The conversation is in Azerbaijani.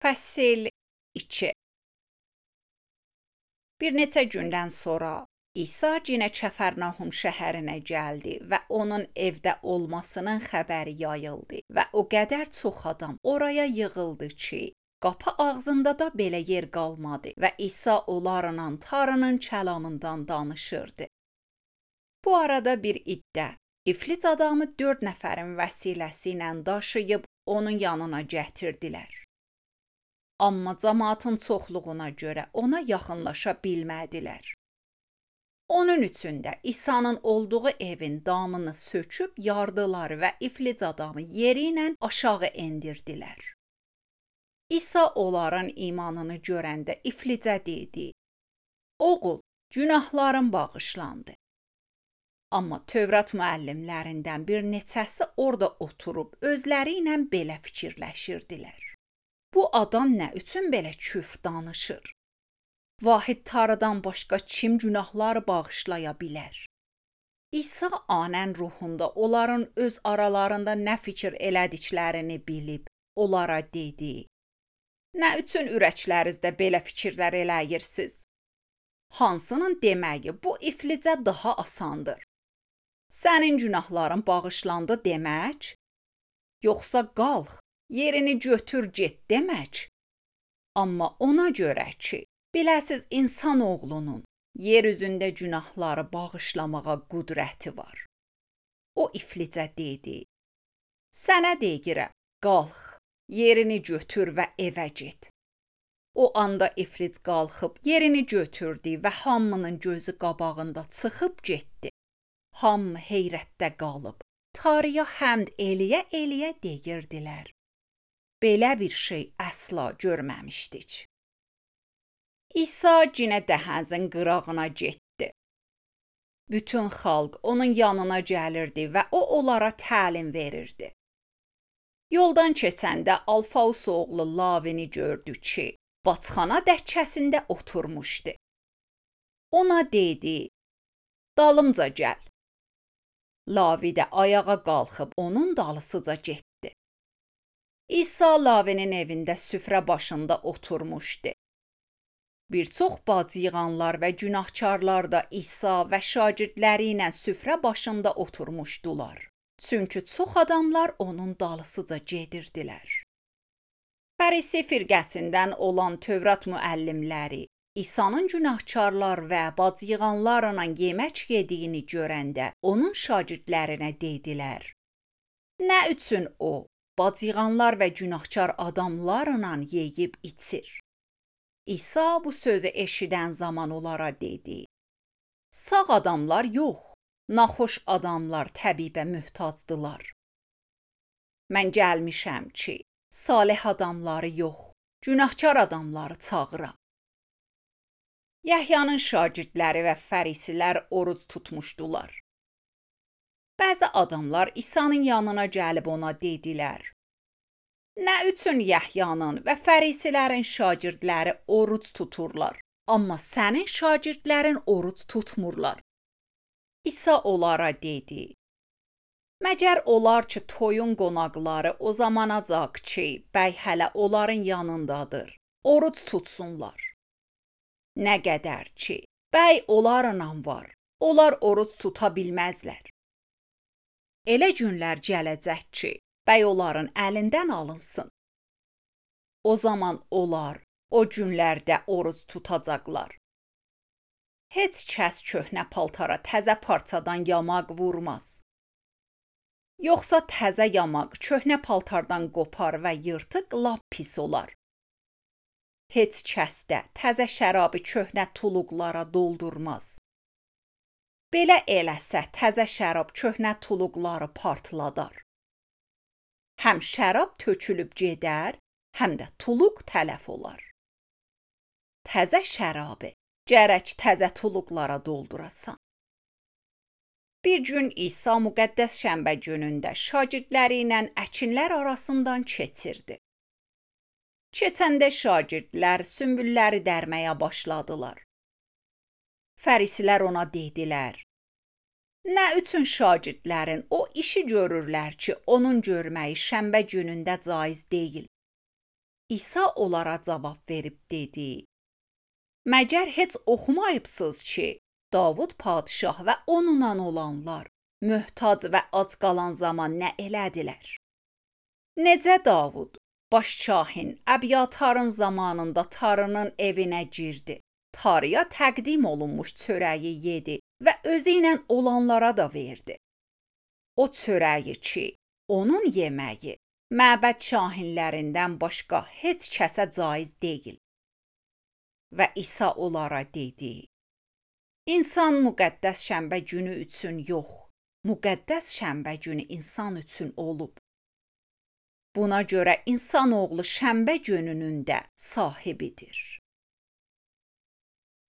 Fəsil 2. Bir neçə gündən sonra İsa yenə Kəfərnahum şəhərinə gəldi və onun evdə olmasının xəbəri yayıldı və o qədər çox adam oraya yığıldı ki, qapı ağzında da belə yer qalmadı və İsa onlarla Tanrının kəlamından danışırdı. Bu arada bir iddə iflic adamı 4 nəfərin vəsiləsi ilə daşıyıb onun yanına gətirdilər. Amma cəmaatın çoxluğuna görə ona yaxınlaşa bilmədilər. Onun üçün də İsa'nın olduğu evin damını söküb yardılar və iflic adamı yeri ilə aşağı endirdilər. İsa onların imanını görəndə iflicə dedi: "Oğul, günahların bağışlandı." Amma Tövrat müəllimlərindən bir neçəsi orada oturub özləri ilə belə fikirləşirdilər: "Bu adam nə üçün belə küfr danışır? Vahid Tanrıdan başqa kim günahları bağışlaya bilər?" İsa anən ruhunda onların öz aralarında nə fikir elədiklərini bilib onlara dedi: "Nə üçün ürəklərinizdə belə fikirlər eləyirsiniz? Hansının deməyi bu iflicə daha asandır? Sənin günahların bağışlandı demək, yoxsa qalx, yerini götür get demək? Amma ona görə ki, biləsiz insan oğlunun yer üzündə günahları bağışlamağa qüdrəti var." O iflicə dedi: "Sənə deyirəm, qalx, yerini götür və evə get." O anda iflic qalxıb yerini götürdü və hamının gözü qabağında çıxıb getdi. Hamı heyrətdə qalıb, Tanrıya həmd eləyə-eləyə deyirdilər: "Belə bir şey əsla görməmişdik." İsa yenə dəhəzin qırağına getdi. Bütün xalq onun yanına gəlirdi və o onlara təlim verirdi. Yoldan keçəndə Alfaus oğlu Lavini gördü ki, baçxana dəkkəsində oturmuşdu. Ona dedi: "Dalımca gəl." Lavi də ayağa qalxıb onun dalısıca getdi. İsa Lavinin evində süfrə başında oturmuşdu. Bir çox bacıyığanlar və günahkarlar da İsa və şagirdləri ilə süfrə başında oturmuşdular. Çünki çox adamlar onun dalısıca gedirdilər. Fərisi firqəsindən olan Tövrat müəllimləri İsa'nın günahkarlar və bacıyığanlarla yemək yediyini görəndə onun şagirdlərinə dedilər: "Nə üçün o bacıyığanlar və günahkar adamlarla yeyib içir?" İsa bu sözü eşidən zaman onlara dedi: "Sağ adamlar yox, naxoş adamlar təbibə möhtacdılar. Mən gəlmişəm ki, salih adamları yox, günahkar adamları çağıram." Yəhyanın şagirdləri və fərisilər oruc tutmuşdular. Bəzi adamlar İsa'nın yanına gəlib ona dedilər: "Nə üçün Yəhyanın və fərisilərin şagirdləri oruc tuturlar, amma sənin şagirdlərin oruc tutmurlar?" İsa onlara dedi: "Məgər olar ki, toyun qonaqları o zamanacaq ki, bəy hələ onların yanındadır, oruc tutsunlar? Nə qədər ki, bəy onlarla var, onlar oruc tuta bilməzlər. Elə günlər gələcək ki, bəy onların əlindən alınsın. O zaman onlar o günlərdə oruc tutacaqlar. Heç kəs köhnə paltara təzə parçadan yamaq vurmaz. Yoxsa təzə yamaq köhnə paltardan qopar və yırtıq lap pis olar. Heç kəs də təzə şərabı köhnə tuluqlara doldurmaz. Belə eləsə təzə şərab köhnə tuluqları partladar. Həm şərab tökülüb gedər, həm də tuluq tələf olar. Təzə şərabı gərək təzə tuluqlara doldurasan." Bir gün İsa müqəddəs şənbə günündə şagirdləri ilə əkinlər arasından keçirdi. Keçəndə şagirdlər sümbülləri dərməyə başladılar. Fərisilər ona dedilər: "Nə üçün şagirdlərin o işi görürlər ki, onun görməyi şənbə günündə caiz deyil?" İsa onlara cavab verib dedi: Məgər heç oxumayıbsınız ki, Davud padişah və onunla olanlar möhtac və ac qalan zaman nə elədilər? Necə Davud, başçahin Əbyatarın zamanında tarının evinə girdi, tarıya təqdim olunmuş çörəyi yedi və özü ilə olanlara da verdi. O çörəyi ki, onun yeməyi məbəd şahinlərindən başqa heç kəsə caiz deyil. Və İsa onlara dedi: İnsan müqəddəs şənbə günü üçün yox, müqəddəs şənbə günü insan üçün olub. Buna görə insanoğlu şənbə gününün də sahibidir.